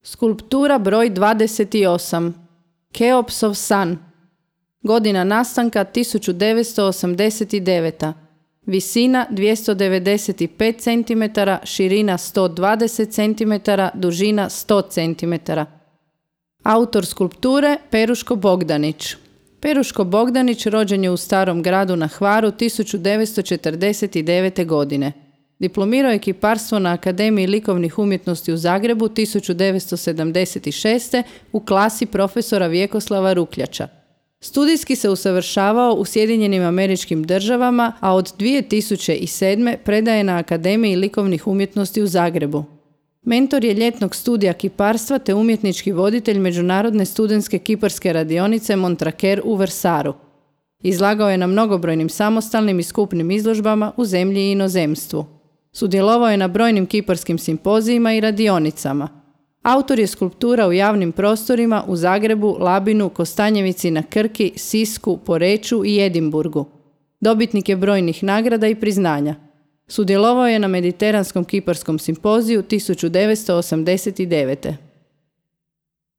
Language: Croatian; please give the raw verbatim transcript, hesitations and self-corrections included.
Skulptura broj dvadeset osam. Keopsov san. Godina nastanka tisuću devetsto osamdeset deveta. Visina dvjesto devedeset pet centimetara, širina sto dvadeset centimetara, dužina sto centimetara. Autor skulpture Peruško Bogdanić. Peruško Bogdanić rođen je u Starom Gradu na Hvaru tisuću devetsto četrdeset devete. godine. Diplomirao je kiparstvo na Akademiji likovnih umjetnosti u Zagrebu tisuću devetsto sedamdeset šeste. u klasi profesora Vjekoslava Rukljača. Studijski se usavršavao u Sjedinjenim Američkim Državama, a od dvije tisuće sedme. predaje na Akademiji likovnih umjetnosti u Zagrebu. Mentor je ljetnog studija kiparstva te umjetnički voditelj Međunarodne studentske kiparske radionice Montraker u Vrsaru. Izlagao je na mnogobrojnim samostalnim i skupnim izložbama u zemlji i inozemstvu. Sudjelovao je na brojnim kiparskim simpozijima i radionicama. Autor je skulptura u javnim prostorima u Zagrebu, Labinu, Kostanjevici na Krki, Sisku, Poreču i Edinburgu. Dobitnik je brojnih nagrada i priznanja. Sudjelovao je na Mediteranskom kiparskom simpoziju tisuću devetsto osamdeset devete.